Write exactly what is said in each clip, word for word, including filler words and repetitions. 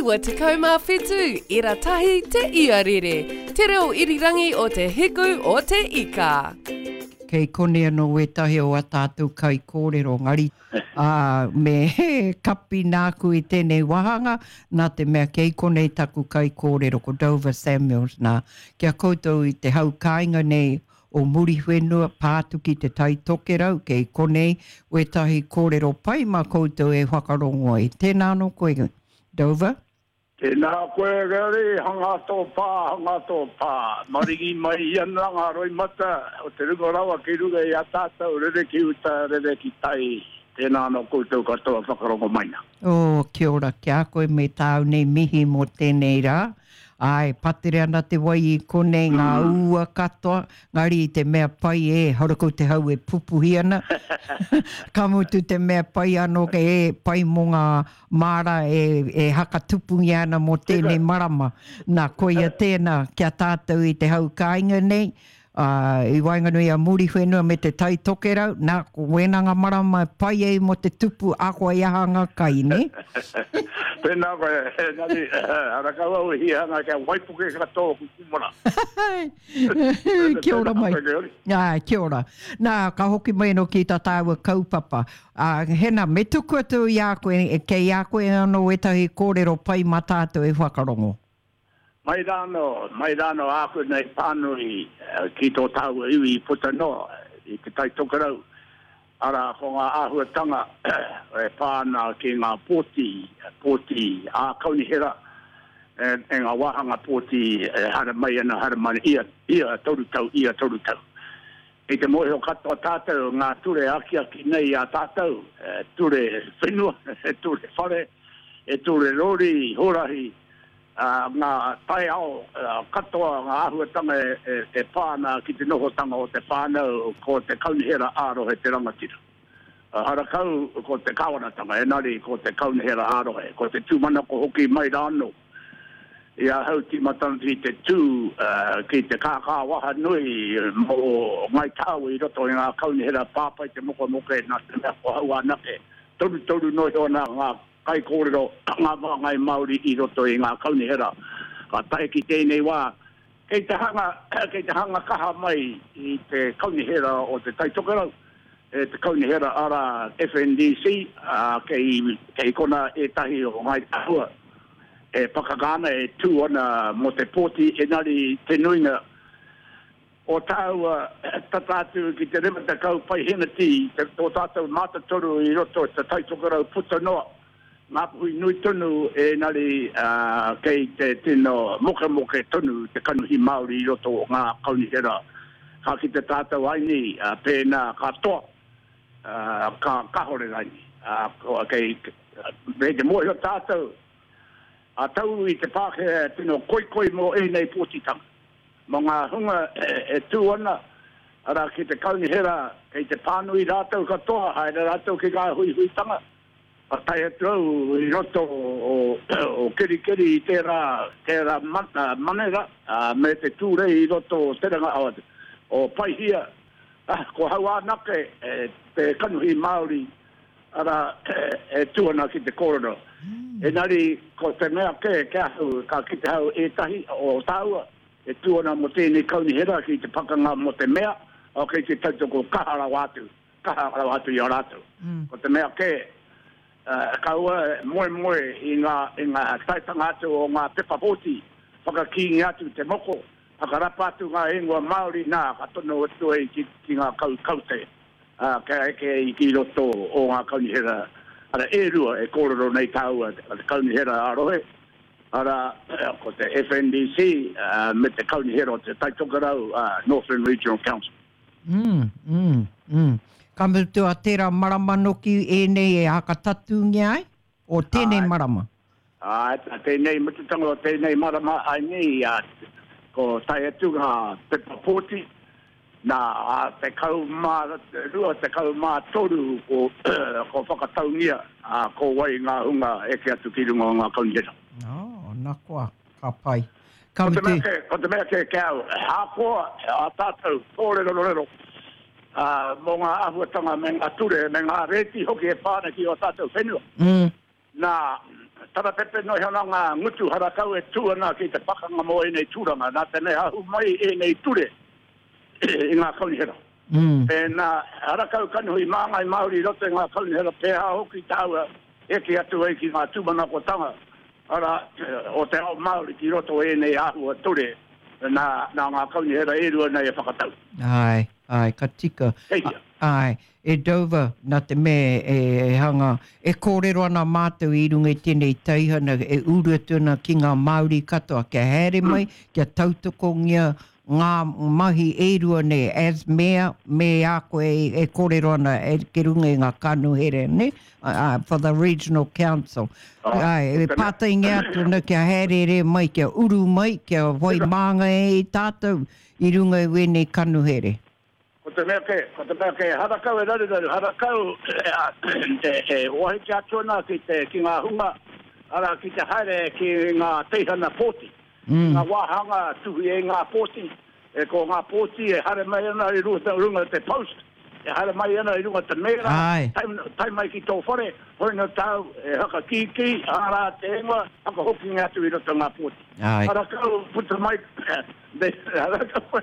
Iwa tekau mā whitu, ira tahi te iarere, te reo irirangi o te hiku o te ika. Kei konei anō wētahi o ā tātou kaikōrero, ngari, ā, me kapi nāku i tēnei wāhanga, nā te mea kei konei taku kaikōrero, ko Dover Samuels nā, ki a koutou i te hau kāinga nei o Muriwhenua, pā atu ki Te Tai Tokerau, kei konei wētahi kōrero pai mā koutou e whakarongo ai. Tēnā anō koe, Dover. Tēnā koe, Gary, hanga tō pā, hanga tō pā. Maringi mai ana ngā roimata o te runga rawa ki runga i a tātou, rere ki uta, rere ki tai. Tēnā anō koutou katoa whakarongo mai nā. Oh, kia ora ki a koe me tāu nei mihi mō tēnei rā. Āe, patere ana te wai i konei, ngā ua katoa, ngari i te mea pai e, harakau te hau e pupuhi ana. Ka mutu te mea pai anō e, pai mō ngā māra e, e hakatupungia ana mō tēnei marama. Nā, koia tēnā ki a tātou i te hau kāinga nei, ā, i waenganui a Muriwhenua me te Tai Tokerau, nā, ko wēnā ngā marama e pai ai mō te tupu ahakoa i aha ngā kai, nē? Tēnā koe, engari, ara kau au e hia ana kia waipuke katoa oku kūmara. Kia ora mai. Āe, kia ora. Nā, ka hoki mai anō ki tā tāua kaupapa. Ā, hena, me tuku atu i a koe, kei a koe anō ētahi kōrero pai mā tātou e whakarongo. Mai rānō, mai rānō āku nei pānui ki tō tāua iwi puta noa i Te Tai Tokerau, arā, ko ngā āhuatanga e pā ana ki ngā pōti, pōti ā-kaunihera, e ngā wāhanga pōti e haere mai ana, haere mai ana ia, ia toru tau, ia toru tau. Kei te mōhio katoa tātou ngā ture akiaki nei i a tātou, ture whenua, ture whare, ture rori, huarahi, ngā taiao katoa, ngā āhuatanga e pā ana ki te nohotanga o te whānau, ko te kaunihera ā-rohe te rangatira. Harakau ko te kāwanatanga, engari ko te kaunihera ā-rohe, ko te tūmanako hoki mai rānō i ahau tīmatanga ki te tū ki te kākā waha nui mō Ngāi Tahu i roto i ngā kaunihera pāpai te mokemoke nā te mea ko hau anake, torutoru noa iho ana ngā kaikōrero ngā māngai Māori i roto i ngā kaunihera. Ka tae ki tēnei wā, kei te hanga, kei te hanga kaha mai i te kaunihera o Te Tai Tokerau, e te kaunihera arā F N D C, ā, kei, kei konā ētahi o Ngāi Tahua e pakaka ana, e tū ana mō te pōti, engari te nuinga o tāua tata atu ki te rima tekau paihēneti tō tātou mātotoru i roto i te Tai Tokerau puta noa, Ngāpuhi nui tonu engari kei te tino mokemoke tonu te kanohi Māori i roto o ngā kaunihera. Ka kite tātou aini pēnā ka toa, ka kahore raini. Kei te mōhio tātou a Tauru i te Pākehā tino koikoi mō ēnei pōtitanga. Mō ngā hunga e tū ana, arā ki te kaunihera kei te pānui rātou katoa, haere rātou ki ngā huihuitanga, ka tae atu au i roto o Kerikeri i tērā, tērā manera, me te tūrei i roto o Teranga, o Paihia, ko hau anake te kanohi Māori, arā, e tū ana ki te kōrero. Engari, ko te mea kē, ki ahau, ka kite hau ētahi o tāua, e tū ana mō tēnei kaunihera ki te pakanga mō te mea, kei te tautoko kaha rawa atu, kaha rawa atu i a rātou. Ko te mea kē, kaua e moemoe i ngā, i ngā taetanga atu o ngā pepa pōti, whakakīngia atu te moko, whakarapa atu ngā ingoa Māori, nā, ka tono atu ai ki, ki ngā kau kaute, ā, kia eke ai ki roto o ngā kaunihera, arā, e rua e kōrero nei tāua, te kaunihera ā-rohe, arā, ko te F N D C, me te kaunihera o Te Tai Tokerau, Northland Regional Council. Mm, mm, mm. Ka mutu a tērā marama noki ēnei e hakatatūngia ai, o tēnei Āe. marama? Āe, tā tēnei mututanga o tēnei marama ai nei, ā, ko tae atu ngā pepa pōti, nā, ā, tekau mā rua, tekau mā toru ko, ko whakataungia, ā, ko wai ngā hunga eke atu ki runga o ngā kaunihera. Oh, nā koa, ka pai. Ka Ko te mea mutu. kē, ko te mea kē ki a au, ahakoa ā tātou kōrerorero, ā, mō ngā āhuatanga me ngā ture, me ngā rēti hoki e pā ana ki ō tātou whenua. Mm. Nā, Tarapepe no hana ngā ngutu harakau e tū ana ki te pakanga mō ēnei tūranga. Nā te mea ahu mai ēnei ture i ngā kaunihera. Mm. Pēnā harakau kanohi māngai Māori i roto i ngā kaunihera pēhā hoki tāua eke atu ai ki ngā tūmanakotanga ara o te ao Māori ki roto ēnei āhua ture nā, nā ngā kaunihera e rua nei e whakatau. Ai, ai, ka tika. Kei hea. Ai, e Dover, nā te mea e, e hanga, e kōrero ana mātou i runga i tēnei teihana, e uru atu ana ki ngā Māori katoa, kia haere mai, kia tautokongia ngā mahi e rua nei, as mea, me a koe e, e kōrero ana e ki runga i ngā kanuhere, ne? Uh, for the Regional Council. Ah, Ai, e tēnā. pātaingia atu ana kia haerere mai, kia uru mai, kia whai māngai e tātou i runga i wēnei kanuhere. Ko te mea ke, ko te mea ke harakau e raruraru, harakau e, e, wahi ki atu ana ki, te, ki ngā hunga, ara ki te haere ki ngā teihana pōti. Mm. Ngā wāhanga tuhi e ngā pōti, e ko ngā pōti e haere mai ana i runga, runga te post, e haere mai ana i runga te mēra, Ai. tai, tai mai ki tō whare, hoi no tau, e hakakīkī, ārā te ingoa, hakahokinga atu i roto ngā pōti. Ai. Harakau puta mai, de, harakau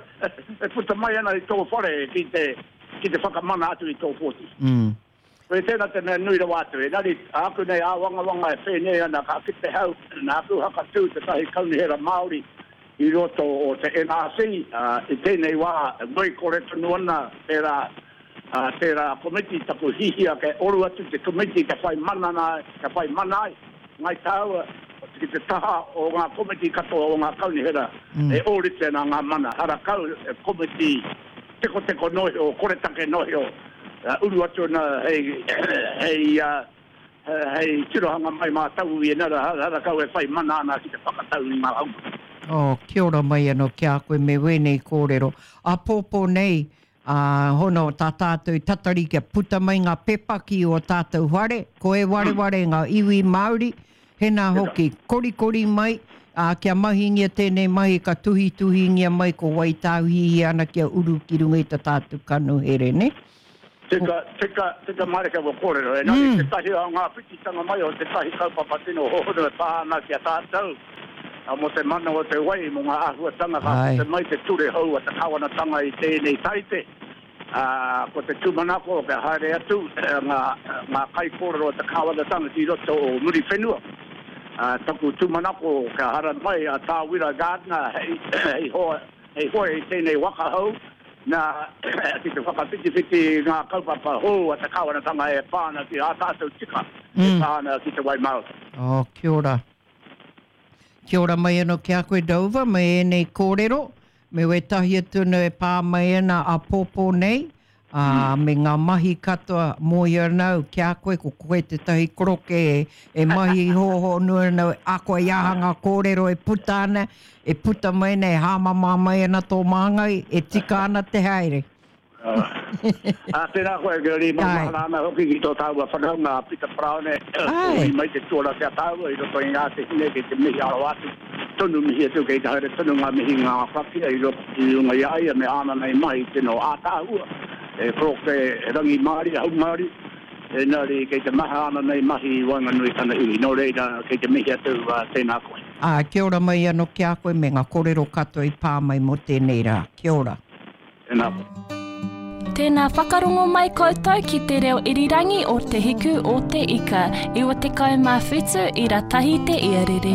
e puta mai ana i tō whare ki te, ki te whakamana atu i tō pōti. Mm. Koe tēnā te mea nui rawa atu, engari āku nei āwangawanga e whēnei ana ka ki te hau, nā aku hakatū te tahi kaunihera Māori i roto o te N R C, uh, i tēnei wā, ngoi kore tonu ana tērā, uh, tērā komiti taku hihia ke oru atu te komiti ka whai mana nā, ka whai mana ai, ngai tāua, ki te taha o ngā komiti katoa o ngā kaunihera, Mm. e ōrite nā ngā mana. Harakau e komiti teko teko nohio, koretake nohio, uh, uru atu ana hei, hei, uh, hei tirohanga mai mā tau i enara, harakau e whai mana ana ki te whakatau i ngā haunga. Oh, kia ora mai anō ki a koe me wēnei kōrero. A pōpō nei, a hono tā tātou tatari kia puta mai ngā pepa ki o tātou whare, ko e wareware ngā iwi Māori, hena hoki korikori mai, a, kia mahingia tēnei mahi ka tuhituhingia mai ko wai tāuhihi ana kia uru ki runga i tā tātou kanuhere, ne? Tika, tika, tika mareka wa kōrero. E nani Mm. te tahi o ngā whititanga mai o te tahi kaupapa tino hohono e pā ana ki a tātou. A mo te mana o te wai, mo ngā āhuatanga ka Ai. te mai te ture hou a te kawanatanga i tēnei taite. Uh, ko te tūmanako kia haere atu eh, ngā, ngā kaikōrero o te kawanatanga ki roto o Muriwhenua. Uh, taku tūmanako kia hara mai a Tāwira Gardner hei, hei, hoa, hei hoa i tēnei waka hou nā ki te whakawhitiwhiti ngā kaupapa hou a te kawanatanga e pā ana ki ā tātou tika e Mm. pā ana ki te wai Māori. Oh, kia ora. Kia ora mai anō ki a koe Dover, me ēnei kōrero, me wētahi atu ana e pā mai ana a pōpō nei, ā, me ngā mahi katoa mōhio ana au ki a koe, ko koe tētahi koroke e, e mahi hohonu ana, a koe i aha ngā kōrero e puta ana, e puta mai nei, hāmama mai ana tō māngai, e tika ana te haere. Ah, tēnā koe, Gary, Ai. maumahara ana hoki ki tō tāua whanaunga a Peter Browne, Ai. i mai te tuara ki a tāua, i roto i ngā te hine ki te mihi aro atu. Tonu mihi atu, kei te haere tonu ngā mihi ngā whakia i roto i runga i a ia me āna nei mahi tino ātāhua. E koroke rangi Māori, hau Māori, engari kei te maha ana nei mahi i waenganui tana iwi. Nō reira, kei te mihi atu, uh, tēnā koe. Ā, kia ora mai anō ki a koe me ngā kōrero katoa i pā mai mō tēnei rā. Kia ora. Tēnā koe. Tēnā whakarongo mai koutou ki te reo irirangi o Te Hiku o Te Ika, iwa tekau mā whitu i ratahi te iarere.